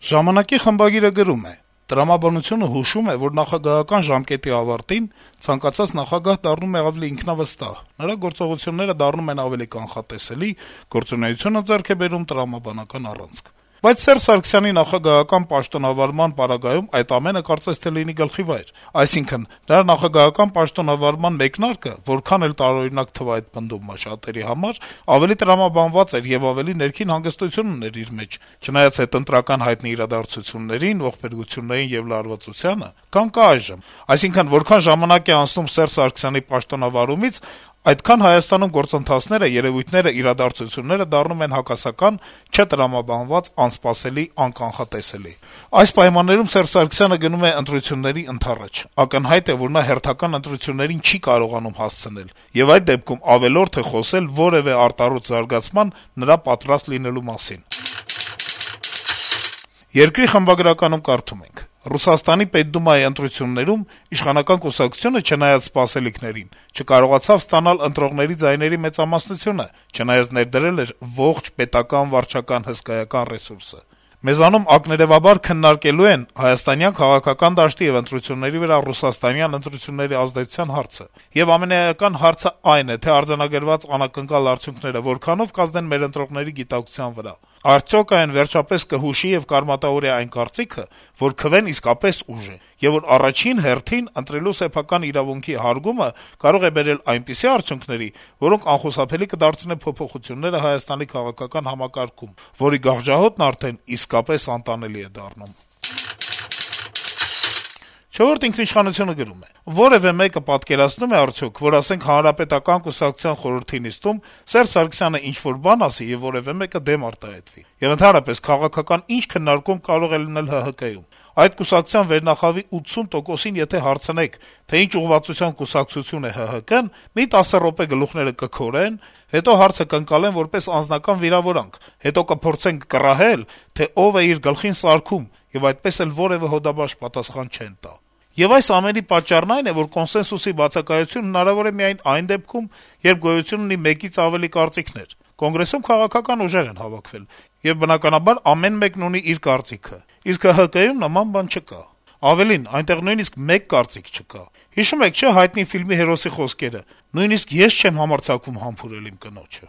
«Ժամանակ»-ի խմբագիրը գրում է. - «Տրամաբանությունը հուշում է, որ նախագահական ժամկետի ավարտին ցանկացած նախագահ դառնում է ավելի ինքնավստահ, նրա գործողությունները դառնում են ավելի կանխատեսելի, գործունեությունը ձեռք է բերում տրամաբանական առանցք: Բայց Սերժ Սարգսյանի նախագահական պաշտոնավարման պարագայում այդ ամենը կարծես թե լինի գլխիվայր: Այսինքն` նրա նախագահական պաշտոնավարման մեկնարկը, որքան էլ տարօրինակ թվա այդ պնդումը շատերի համար, ավելի տրամաբանված էր եւ ավելի ներքին հանգստություն ուներ իր մեջ, չնայած հետընտրական հայտնի իրադարձություններին, ողբերգություններին եւ լարվածությանը, քան կա այժմ: Այսինքն, որքան ժամանակ է անցնում Սերժ Սարգսյանի պաշտոնավարումից, այդքան Հայաստանում գործընթացները, երեւույթները, իրադարձությունները դառնում են հակասական, չտրամաբանված, անսպասելի, անկանխատեսելի: Այս պայմաններում Սերժ Սարգսյանը գնում է ընտրությունների ընդառաջ: Ակնհայտ է, որ նա հերթական ընտրություններին չի կարողանում հասցնել, եւ այդ դեպքում ավելորդ է խոսել որեւէ արտարոց զարգացման նրա պատրաստ լինելու մասին»: «Երկիր» խմբագրականում կարդում ենք. - «Ռուսաստանի Պետդումայի ընտրություններում իշխանական կուսակցությունը, չնայած սպասելիքներին, չկարողացավ ստանալ ընտրողների ձայների մեծամասնությունը, չնայած ներդրել էր ողջ պետական վարչական հսկայական ռեսուրսը: Մեզանում ակներեւաբար քննարկելու են հայաստանյան քաղաքական դաշտի եւ ընտրությունների վրա ռուսաստանյան ընտրությունների ազդեցության հարցը: Եվ ամենաէական հարցը այն է, թե արձանագրված անակնկալ արդյունքները որքանով կազդեն մեր ընտրողների գիտակցության վրա: Արդյոք այն վերջապես կհուշի եւ կարմատավորի այն կարծիքը, որ քվեն իսկապես ուժ է, եւ որ առաջին հերթին ընտրելու սեփական իրավունքի հարգումը կարող է բերել այնպիսի արդյունքների, որոնք անխուսափելի կդարձնեն փոփոխությունները Հայաստանի քաղաքական համակարգում, որի գաղժահոտն արդեն իսկապես անտանելի է դառնում»: «Չորրորդ ինքնիշխանություն»-ը գրում է. - «Որեւէ մեկը պատկերացնո՞ւմ է արդյոք, որ, ասենք, Հանրապետական կուսակցության խորհրդի նիստում Սերժ Սարգսյանը ինչ-որ բան ասի, եւ որեւէ մեկը դեմ արտահայտվի: Եվ ընդհանրապես, քաղաքական ինչ քննարկում կարող է լինել ՀՀԿ-ում: Այդ կուսակցության վերնախավի 80%-ին եթե հարցնեք, թե ինչ ուղղվածությամբ կուսակցություն է ՀՀԿ-ն, մի 10 րոպե գլուխները կքորեն, հետո հարցը կընկալեն որպես անձնական վիրավորանք, հետո կփորձեն կռահել, թե ով է իր գլխին սարքում, եւ այդպես էլ որեւէ հոդաբաշխ պատասխան չեն տա: Եվ այս ամենի պատճառն այն է, որ կոնսենսուսի բացակայությունը հնարավոր է միայն այն դեպքում, երբ գոյություն ունի մեկից ավելի կարծիքներ: Կոնգրեսում քաղաքական ուժեր են հավաքվել, եւ բնականաբար ամեն մեկն ունի իր կարծիքը, իսկ ՀՀԿ-ում նման բան չկա: Ավելին, այնտեղ նույնիսկ մեկ կարծիք չկա: Հիշո՞ւմ եք, չէ՞, հայտնի ֆիլմի հերոսի խոսքերը. «Նույնիսկ ես չեմ համարձակվում համբուրել իմ կնոջը»: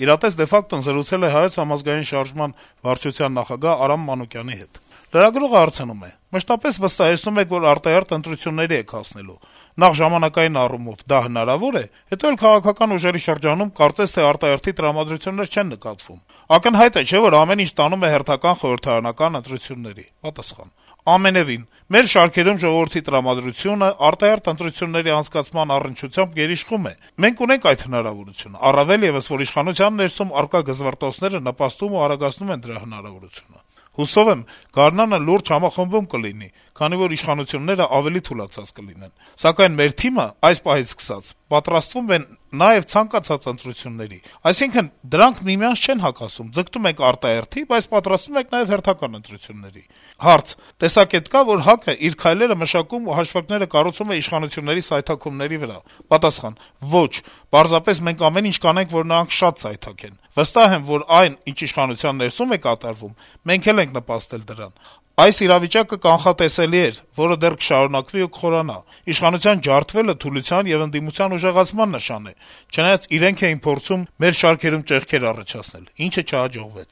«Իրատես de facto»-ն զրուցել է Հայոց համազգային շարժման վարչության նախագահ Արամ Մանուկյանի հետ: Լրագրողը հարցնում է. - «Մշտապես վստահեցնում եք, որ արտահերթ ընտրությունների եք հասնելու: Նախ ժամանակային առումով դա հնարավո՞ր է, հետո էլ քաղաքական ուժերի շրջանում կարծես թե արտահերթի տրամադրություններ չեն նկատվում: Ակնհայտ է, չէ՞, որ ամեն ինչ տանում է հերթական խորհրդարանական ընտրությունների»: Պատասխան. - «Ամենեւին: Մեր շարքերում ժողովրդի տրամադրությունը արտահերթ ընտրությունների անցկացման առնչությամբ գերիշխում է: Մենք ունենք այդ հնարավորությունը, առավել եւս, որ իշխանության ներսում առկա դժվարությունները նպաստում ու արագացնում են դրա հնարավորությունը: Հուսով եմ, գարնանը լուրջ համախմբում կլինի, քանի որ իշխանությունները ավելի թուլացած կլինեն: Սակայն մեր թիմը, այս պահից սկսած, պատրաստվում է նաեւ ցանկացած ընտրությունների: Այսինքն, դրանք միմյանց չեն հակասում, ձգտում ենք արտահերթի, բայց պատրաստվում ենք նաեւ հերթական ընտրությունների»: Հարց. - «Տեսակետ կա, որ ՀԱԿ-ը իր քայլերը մշակում ու հաշվարկները կառուցում է իշխանությունների սայթաքումների վրա»: Պատասխան. - «Ոչ, պարզապես մենք ամեն ինչ կանենք, որ նրանք շատ սայթաքեն: Վստահ եմ, որ այն, ինչ իշխանության ներսում է կատարվում, մենք էլ ենք նպաստել դրան: Այս իրավիճակը կանխատեսելի էր, որը դեռ կշարունակվի ու կխորանա: Իշխանության ջարդվելը թուլության եւ ընդդիմության ուժեղացման նշան է, չնայած իրենք էին փորձում մեր շարքերում ճեղքեր առաջացնել, ինչը չհաջողվեց»: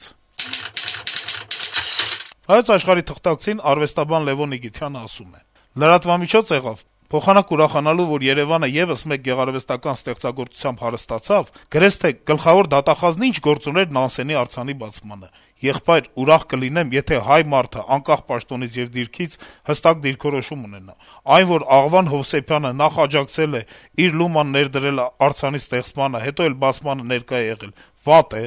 «Հայոց Աշխարհ»-ի թղթակցին արվեստաբան Լեւոն Նիգիթյանը ասում է. - «Լրատվամիջոց եղավ: Փոխանակ ուրախանալու, որ Երեւանը եւս մեկ գեղարվեստական ստեղծագործությամբ հարստացավ, գրեթե թե գլխավոր դատախազն ինչ գործ ուներ Նանսենի արձանի բացմանը: Եղբայր, ուրախ կլինեմ, եթե հայ մարդը, անկախ պաշտոնից եւ դիրքից, հստակ դիրքորոշում ունենա: Այն, որ Աղվան Հովսեփյանը նախ աջակցել է, իր լուման ներդրել արձանի ստեղծմանը, հետո էլ բացմանը ներկա է եղել, վատ է: